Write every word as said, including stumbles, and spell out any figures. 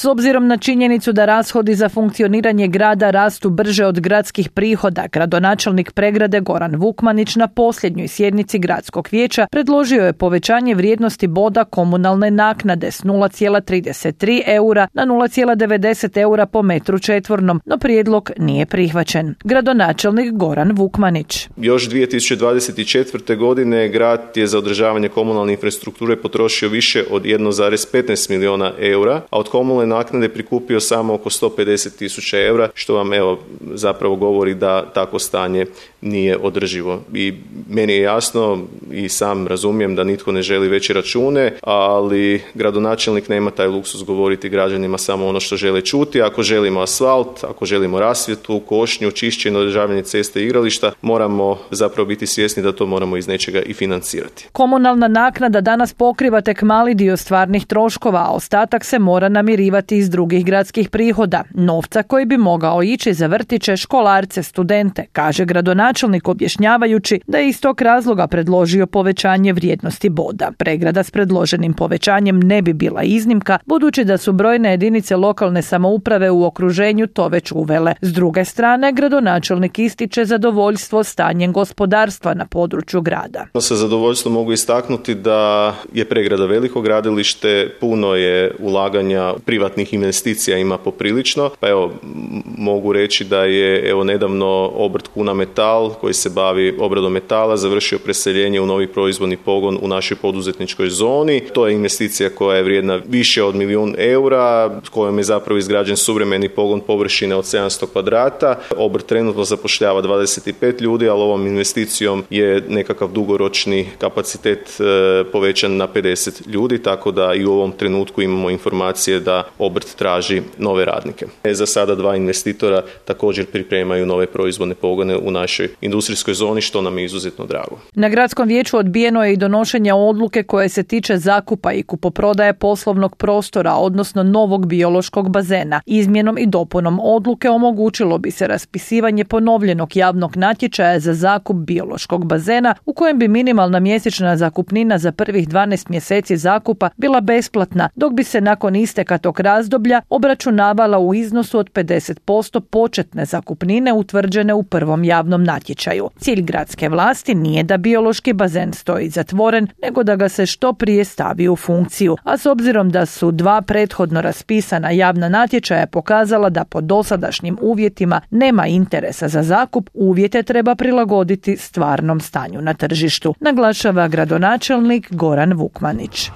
S obzirom na činjenicu da rashodi za funkcioniranje grada rastu brže od gradskih prihoda, gradonačelnik Pregrade Goran Vukmanić na posljednjoj sjednici gradskog vijeća predložio je povećanje vrijednosti boda komunalne naknade s nula zarez trideset tri eura na nula zarez devedeset eura po metru četvornom, no prijedlog nije prihvaćen. Gradonačelnik Goran Vukmanić. Još dvije tisuće dvadeset četvrte. godine grad je za održavanje komunalne infrastrukture potrošio više od jedan zarez petnaest milijuna eura, a od komunalne naknade prikupio samo oko sto pedeset tisuća eura, što vam evo zapravo govori da takvo stanje nije održivo. I meni je jasno i sam razumijem da nitko ne želi veće račune, ali gradonačelnik nema taj luksuz govoriti građanima samo ono što žele čuti. Ako želimo asfalt, ako želimo rasvjetu, košnju, čišćenje, održavanje ceste i igrališta, moramo zapravo biti svjesni da to moramo iz nečega i financirati. Komunalna naknada danas pokriva tek mali dio stvarnih troškova, a ostatak se mora namirivati iz drugih gradskih prihoda, novca koji bi mogao ići za vrtiće, školarce, studente, kaže gradonačelnik objašnjavajući da je iz tog razloga predložio povećanje vrijednosti boda. Pregrada s predloženim povećanjem ne bi bila iznimka, budući da su brojne jedinice lokalne samouprave u okruženju to već uvele. S druge strane, gradonačelnik ističe zadovoljstvo stanjem gospodarstva na području grada. Sa zadovoljstvom mogu istaknuti da je Pregrada veliko gradilište, puno je ulaganja privatnih investicija ima poprilično, pa evo mogu reći da je evo nedavno obrt Kuna Metal koji se bavi obradom metala završio preseljenje u novi proizvodni pogon u našoj poduzetničkoj zoni. To je investicija koja je vrijedna više od milijun eura, kojom je zapravo izgrađen suvremeni pogon površine od sedamsto kvadrata. Obrt trenutno zapošljava dvadeset pet ljudi, ali ovom investicijom je nekakav dugoročni kapacitet e, povećan na pedeset ljudi, tako da i u ovom trenutku imamo informacije da obrt traži nove radnike. E, za sada dva investitora također pripremaju nove proizvodne pogone u našoj industrijskoj zoni, što nam je izuzetno drago. Na gradskom vijeću odbijeno je i donošenje odluke koje se tiče zakupa i kupoprodaje poslovnog prostora, odnosno novog biološkog bazena. Izmjenom i dopunom odluke omogućilo bi se raspisivanje ponovljenog javnog natječaja za zakup biološkog bazena u kojem bi minimalna mjesečna zakupnina za prvih dvanaest mjeseci zakupa bila besplatna, dok bi se nakon isteka tog razdoblja obračunavala u iznosu od pedeset posto početne zakupnine utvrđene u prvom javnom natječaju. Cilj gradske vlasti nije da biološki bazen stoji zatvoren, nego da ga se što prije stavi u funkciju. A s obzirom da su dva prethodno raspisana javna natječaja pokazala da po dosadašnjim uvjetima nema interesa za zakup, uvjete treba prilagoditi stvarnom stanju na tržištu, naglašava gradonačelnik Goran Vukmanić.